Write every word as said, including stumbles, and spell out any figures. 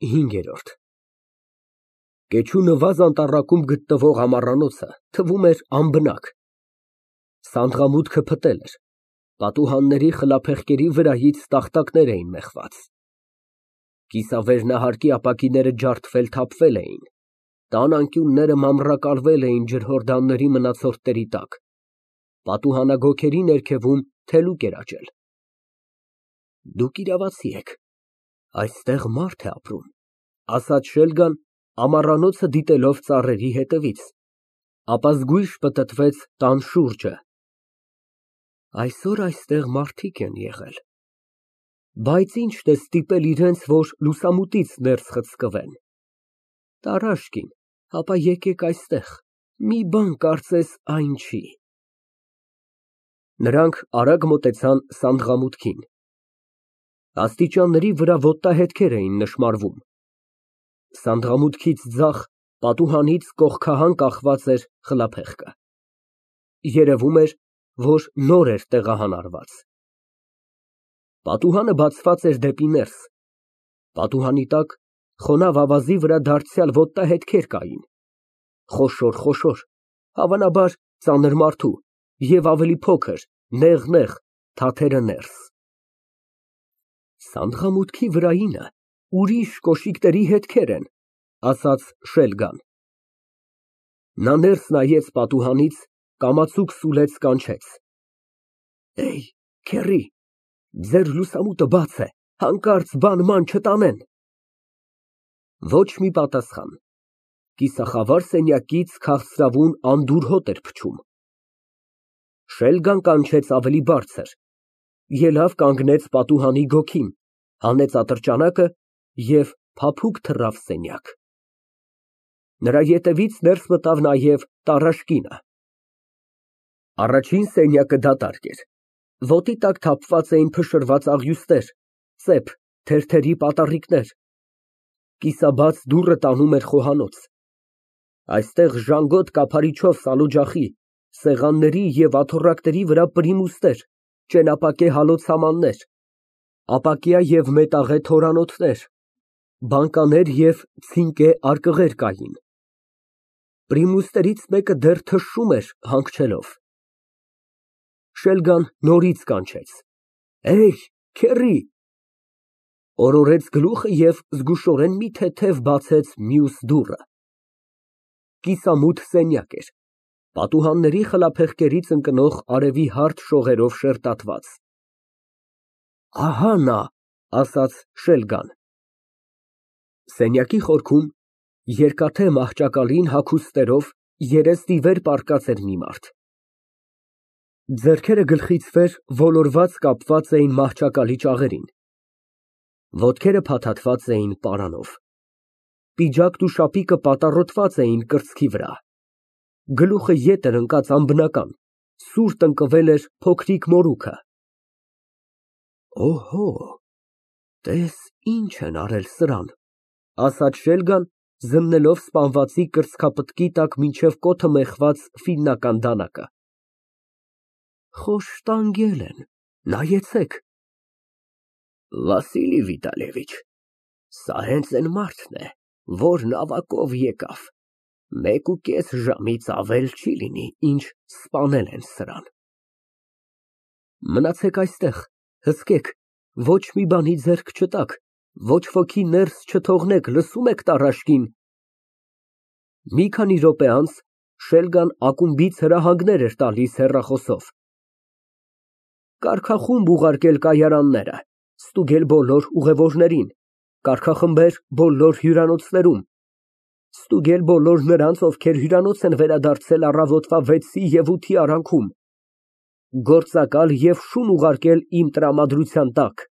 ՀԻՆԳԵՐՈՐԴ Կեչու նվազ անտառակում գտնվող ամառանոցը թվում էր անբնակ, սանդղամուտքը փտել էր, պատուհանների խլափեղկերի վրայից տախտակներ էին մեխված, կիսավերնահարկի ապակիները ջարդվել֊թափվել էին, տան անկյունները մանրակալվել էին ջրհորդանների մնացորդների տակ, պատուհանագոգերի ներքևում թելուկ էր աճել։ Դուք իրավացի եք, այստեղ մարդ է ապրում, ասաց Շելգան, ամառանոցը դիտելով ծառերի ետևից, ապա զգույշ պտտվեց տան շուրջը։ Այսօր այստեղ մարդիկ են եղել, բայց ի՞նչն է ստիպել իրենց, որ լուսամուտից ներս խցկվեն։ Տարաշկին, ապա եկեք այստեղ, մի բան կարծես այն չի։ Նրանք արագ մոտեցան սանդղամուտքին, աստիճանների վրա ոտնահետքեր էին նշմարվում, սանդղամուտքից ձախ պատուհանից կողքահան կախված էր խլափեղկը, երևում էր, որ նոր էր տեղահան արված։ Պատուհանը բացված էր դեպի ներս, պատուհանի տակ խոնավ ավազի վրա դարձյալ ոտնահետքեր կային, խոշոր, հավանաբար ծանր մարդու և ավելի փոքր, նեղ, թաթերը ներս։ Սանդղամուտքի վրայինը ուրիշ կոշիկների հետքեր են, ասաց Շելգան։ Նա ներս նայեց պատուհանից, կամացուկ սուլեց, կանչեց. Քեռի, ձեր լուսամուտը բաց է, հանկարծ բան֊ման չտանեն։ Ոչ մի պատասխան, կիսախավար սենյակից քաղցրավուն անդուր հոտ էր փչում։ Շելգան կանչեց ավելի բարձր, ելավ կանգնեց պատուհանի գոգին, հանեց ատրճանակը և փափուկ թռավ սենյակ։ Նրա ետևից ներս մտավ նաև տարաշկինը։ Առաջին սենյակը դատարկ էր, ոտի տակ թափված էին փշրված աղյուստեր, ծեփ, թերթերի պատառիկներ, կիսաբաց դուռը տանում էր խոհանոց։ Այստեղ ժանգոտ կափարիչով սալօջախի, սեղանների և աթոռակների վրա պրիմուստեր, ճենապակե հալոցամաններ, ապակյա և մետաղե թորանոթներ, բանկաներ և ցինկե արկղեր կային։ Պրիմուստերից մեկը դեռ թշում էր հանգչելով։ Շելգան նորից կանչեց. Քեռի, օրորեց գլուխը և զգուշորեն մի թեթև բացեց մյուս դուռը։ Կիսամութ սենյակ էր, պատուհանների խլափեղկերից ընկնող արևի հարթ շողերով շերտատված։ Ահա նա, ասաց Շելգան։ Սենյակի խորքում, երկաթե մահճակալին հագուստերով, երես ի վեր պառկած էր մի մարդ։ Ձեռքերը գլխից վեր ոլորված կապված էին մահճակալի ճաղերին, ոտքերը փաթաթված էին պարանով, պիջակն ու շապիկը պատառոտված էին կրծքի վրա, գլուխը ետ էր ընկած անբնական, սուր տնկվել էր փոքրիկ մորուքը։ Օհո, տես ինչ են արել սրան, ասաց Շելգան, զննելով սպանվածի կրծքապտկի տակ մինչև կոթը մեխված ֆիննական դանակը։ Խոշտանգել են, նայեցեք։ Վասիլի Վիտալիևիչ, սա հենց այն մարդն է, որ նավակով եկավ, մեկ ու կես ժամից ավել չի լինի, ինչ սպանել են սրան։ Մնացեք այստեղ, հսկեք, ոչ մի բանի ձեռք չտաք, ոչ ոքի ներս չթողնեք, լսո՞ւմ եք, տարաշկին։ Մի քանի րոպե անց Շելգան ակումբից հրահանգներ էր տալիս հեռախոսով. Կարգախումբ ուղարկել կայարանները, ստուգել բոլոր ուղևորներին, կարգախմբեր բոլոր հյուրանոցներում, ստուգել բոլոր նրանց, ովքեր հյուրանոց են վերադարձել առավոտվա վեցի և ութի արանքում, գործակալ և շուն ուղարկել իմ տրամադրության տակ։